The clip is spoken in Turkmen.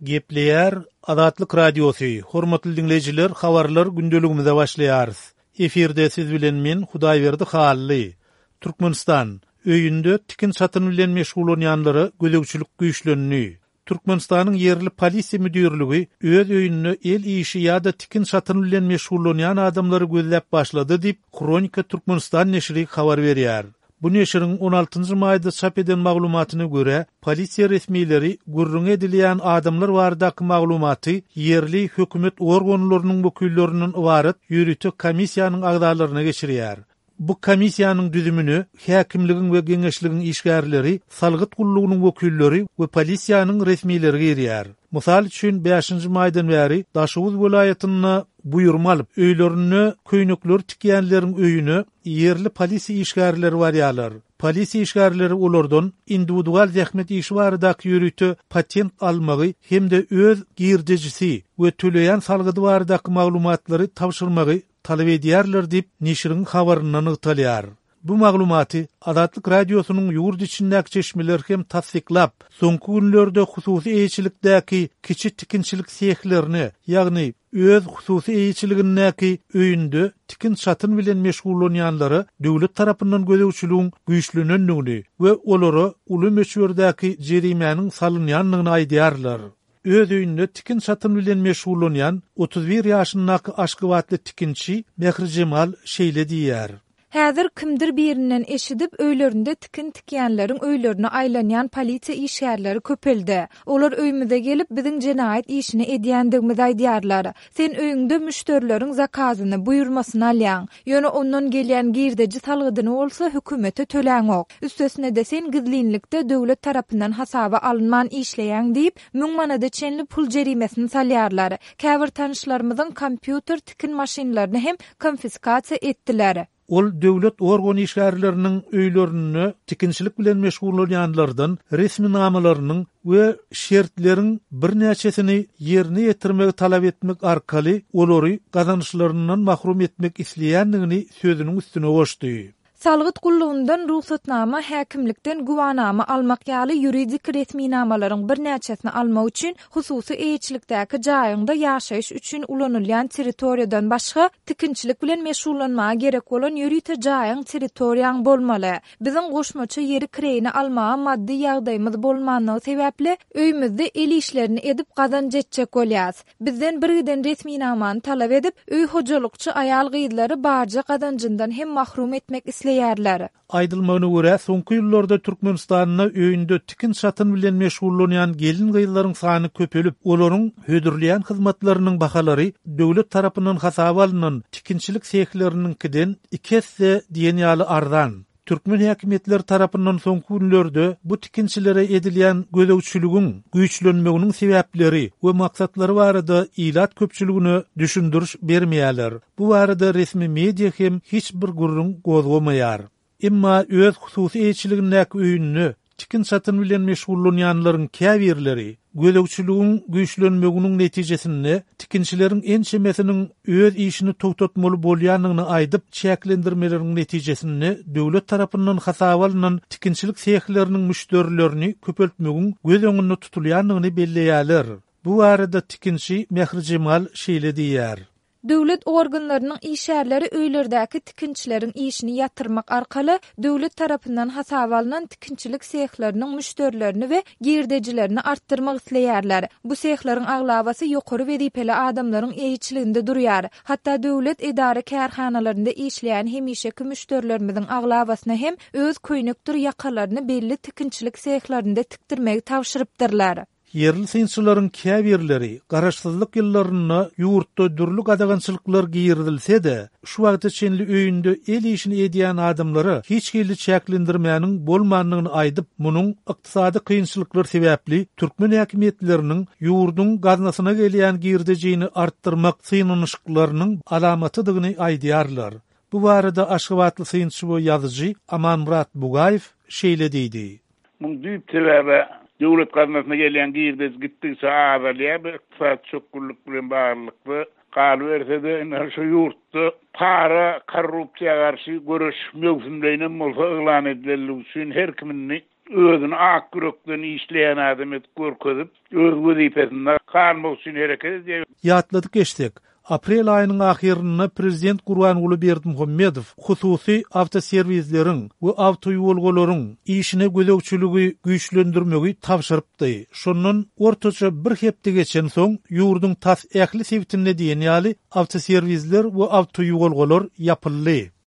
Gepleýär Azatlyk Radiosy, Hormatly diňleýjiler, habarlar gündeligimize başlaýarys. Efirde siz bilen men Hudaýberdi Hally. Türkmenistan, öýünde tikin-çatyn bilen meşgullanýanlara gözegçilik güýçlendi. Türkmenistanyň ýerli polisiýa müdirligi öz öýünde el işi ýa-da tikin-çatyn bilen meşgullanýan adamlary gözläp başlady diýip, Hronika Türkmenistan neşiri habar berýär. Bu neşiriň on altynjy maýda çap eden maglumatyna görä, polisiýa resmileri gürrüňi edilýän adamlar baradaky maglumaty ýerli hökümet organlarynyň wekillerinden ybarat ýörite komissiýanyň agzalaryna geçirýär. Bu komissiýanyň düzümine häkimligiň we geňeşligiň işgärleri, salgyt gullugynyň wekilleri we polisiýanyň resmileri girýär. Mysal üçin, bäşinji maýdan bäri Daşoguz welaýatynda buýurma alyp, öýlerinde köýnekleri tikýänleriň öýüne ýerli polisiýa işgärleri barýarlar. Polisiýa işgärleri olardan indiwidual zähmet işi baradaky ýörite patent almagy hem-de öz girdejisi we töleýän salgydy baradaky maglumatlary tabşyrmagy talap edýärler diýip, neşiriň habarynda nygtalýar. Bu maglumaty Azatlyk Radiosynyň ýurt içindäki çeşmeleri hem tassyklap, soňky günlerde hususy eýeçilikdäki kiçi tikinçilik sehlerine, ýagny öz hususy eýeçiligindäki öýünde tikin-çatyn bilen meşgullanýanlara döwlet tarapyndan gözegçiligiň güýçlenendigini we olara uly möçberdäki jerimäniň salynýandygyny aýdýarlar. Öz öýünde tikin-çatyn bilen meşgullanýan 31 ýaşyndaky aşgabatly tikinçi Mährijemal şeýle diýýär. Häzir kimdir birinden eşidip, öýlerinde tikin tikýänleriň öýlerine aýlanýan polisiýa işgärleri köpeldi. Olar öýümize gelip, biziň jenaýat işini edýändigimizi aýdýarlar. Sen öýüňde müşderileriň zakazyny, buýurmasyny alýaň. Ýöne ondan gelýän girdeji salgydyny bolsa hökümete töläňok. Üstesine-de sen gizlinlikde döwlet tarapyndan hasaba alynman işleýäň diýip, müň manada çenli pul jerimesini salýarlar. Käbir tanyşlarymyzyň kompýuter, tikin maşynlaryny hem konfiskasiýa etdiler. Ol döwlet organ işgärleriniň öýlerinde tikinçilik bilen meşgullanýanlardan resminamalarynyň we şertleriň birnäçesini ýerine ýetirmegi talap etmek arkaly olary gazançlaryndan mahrum etmek isleýändigini sözüniň üstüne goşdy. Salgyt gullugyndan rugsatnama, häkimlikden güwanama almak ýaly ýuridik resminamalaryň birnäçesini almak üçin hususy eýeçilikdäki jaýyňda ýaşaýyş üçin ulanylýan territoriýadan başga, tikinçilik bilen meşgullanmaga gerek bolan ýörite jaýyň, territoriýaň bolmaly. Biziň goşmaça ýeri kireýine almaga maddy ýagdaýymyz bolmanlygy sebäpli, öýümizde el işlerini edip gazanç etjek bolýas. Bizden birgiden resminamany talap edip, öý hojalykçy aýal-gyzlary barja gazanjyndan hem mahrum etmek isleýärler. Aýdylmagyna görä, soňky ýyllarda Türkmenistanda öýünde tikin-çatyn bilen meşgullanýan gelin-gyzlaryň sany köpelip, olaryň hödürleýän hyzmatlarynyň bahalary döwlet tarapyndan hasaba alnan tikinçilik sehleriniňkiden iki esse diýen ýaly arzan. Türkmen häkimiýetleri tarapyndan soňky günlerde bu tikinçilere edilýän gözegçiligiň güýçlenmeginiň sebäpleri we maksatlary barada ilat köpçüligine düşündiriş bermeýärler. Bu barada resmi media hem hiç bir gürrüň gozgamaýar. Emma öz hususy eýeçiligindäki öýünde tikin-çatyn bilen meşgullanýanlaryň käbirleri gözegçiligiň güýçlenmeginiň netijesinde tikinçileriň ençemesiniň öz işini togtatmaly bolýandygyny aýdyp, çäklendirmeleriň netijesinde döwlet tarapyndan hasaba alnan tikinçilik sehleriniň müşderilerini köpeltmegiň göz öňünde tutulýandygyny belleýärler. Bu barada tikinçi Mährijemal şeýle diýýär. Döwlet organlarynyň işgärleri öýlerdäki tikinçileriň işini ýatyrmak arkaly döwlet tarapyndan hasaba alnan tikinçilik sehleriniň müşderilerini we girdejilerini artdyrmak isleýärler. Bu sehleriň aglabasy ýokary wezipeli adamlaryň eýeçiliginde durýar. Hatda döwlet edara-kärhanalarynda işleýän hemişeki müşderilerimiziň aglabasyna hem öz köýnekdir ýakalaryny belli tikinçilik sehlerinde tikdirmegi tabşyrypdyrlar. Ýerli synçylaryň käbirleri garaşsyzlyk ýyllarynda ýurtda dürli gadagançylyklar girizilse-de, şu wagta çenli öýünde el işini edýän adamlara hiç hili çäklendirmäniň bolmandygyny aýdyp, munuň ykdysady kynçylyklar sebäpli türkmen häkimiýetleriniň ýurduň gaznasyna gelýän girdejini artdyrmak synanyşyklarynyň alamatydygyny aýdýarlar. Bu barada aşgabatly synçy we ýazyjy Amanmyrat Bugaýew şeýle diýdi. Muň düýp sebäbi döwlet gaznasyna gelýän girdeji gitdigiçe azalýar, bu ykdysady çökgünlik bilen baglylykda, galyberse-de indi şu ýurtda para, korrupsiýa garşy göreş möwsümleýinem bolsa yglan edilenligi üçin her kim indi. Özüni ak ýürekden işleýän adam edip görkezip, öz wezipesinde galmak üçin hereket edýär. Ýatladyp geçsek, aprel aýynyň ahyrynda prezident Gurbanguly Berdimuhamedow hususy awtoserwisleriň we awtoýuwalgalaryň işine gözegçiligi güýçlendirmegi tabşyrypdy. Şondan ortaça bir hepde geçensoň, ýurduň tas ähli sebitinde diýen ýaly awtoserwisler we awtoýuwalgalar ýapyldy.